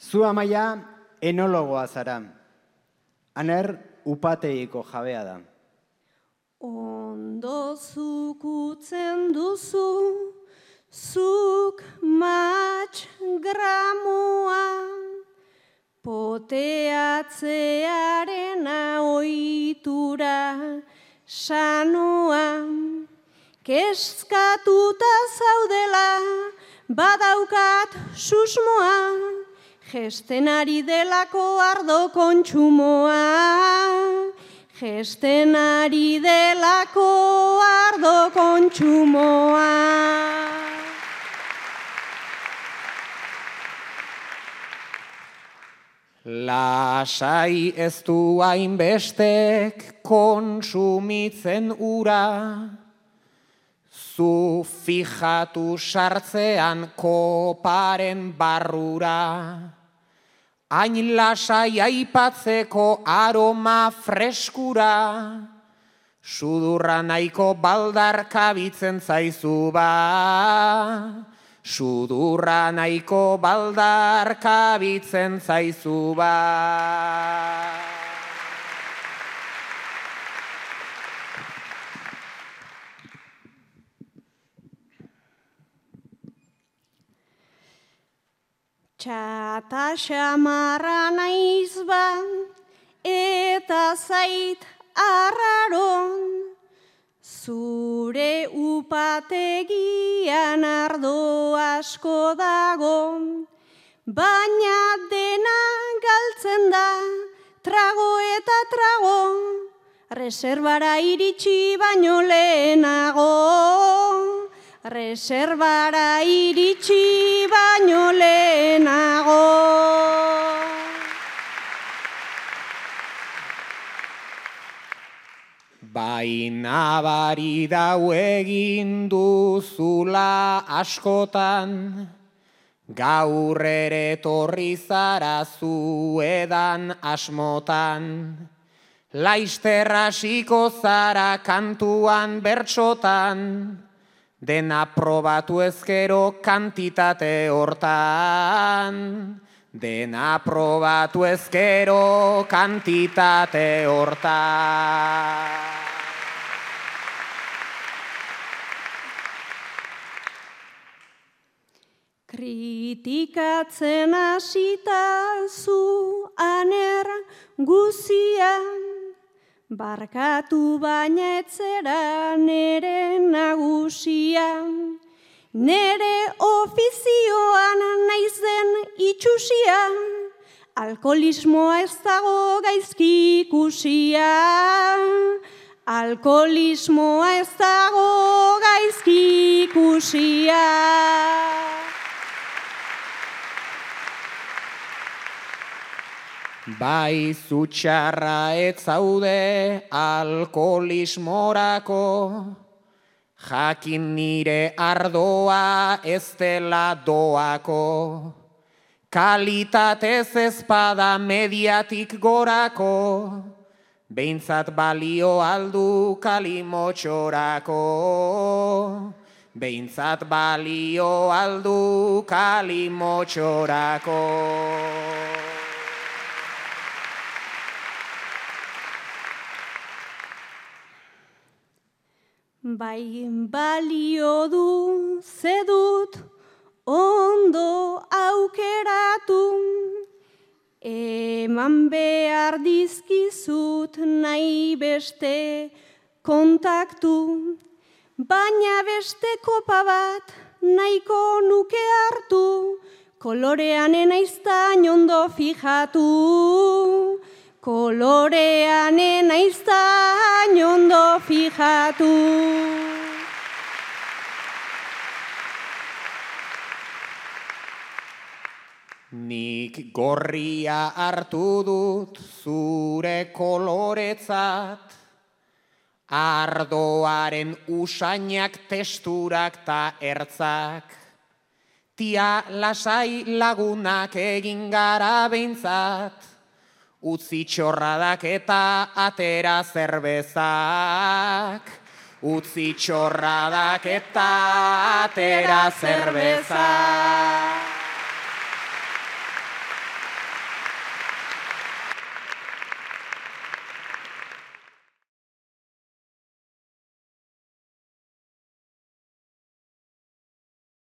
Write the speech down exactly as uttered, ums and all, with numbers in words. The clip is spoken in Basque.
Zu Amaia enologoa zara. Aner upategiko jabea da. Ondo zukutzen duzu, zuk matx gramoa, poteatzearen ohitura sanoa, kezkatuta zaudela badaukat susmoa, gesten ari delako ardo kontsumoa, gesten ari delako ardo kontsumoa. Lasai ez du hainbestek kontsumitzen ura, zu fijatu sartzean koparen barrura, hain lasai aipatzeko aroma freskura, sudurra nahiko baldarkabitzen zaizu ba, sudurra nahiko baldarkabitzen zaizu ba. Txata xamarra naiz ba, eta zait arraron, zure upategian ardo asko dago, baina dena galtzen da, trago eta trago, reserbara iritsi baino lehenago. Reserbara iritsi baino lehenago. Baina bari dau egin duzula askotan, gaur ere torri zara zuedan asmotan, laizter hasiko zara kantuan bertsotan, dena probatu ezkero kantitate hortan, dena probatu ezkero kantitate hortan. Kritikatzen hasita zu aner guzian, barkatu baina etzera nere nagusia, nere ofizioan naizen itxusia, alkoholismoa ez dago gaizki ikusia, alkoholismoa ez dago gaizki ikusia. Bai zutxarra ez zaude alkoholismorako, jakin nire ardoa ez dela doako, kalitatez ezpada mediatik gorako, behintzat balio aldu kalimotxorako, behintzat balio aldu kalimotxorako. Bai balio du zedut ondo aukeratu, eman behar dizkizut nahi beste kontaktu, baina beste kopa bat nahiko nuke hartu, kolorean enaiztain ondo fijatu, kolorean enaiztain ondo fijatu. Nik gorria hartu dut zure koloretzat, ardoaren usainak, testurak ta ertzak, tia lasai lagunak egin gara behintzat, utzi txorradak eta atera zerbezak, utzi txorradak eta atera zerbezak.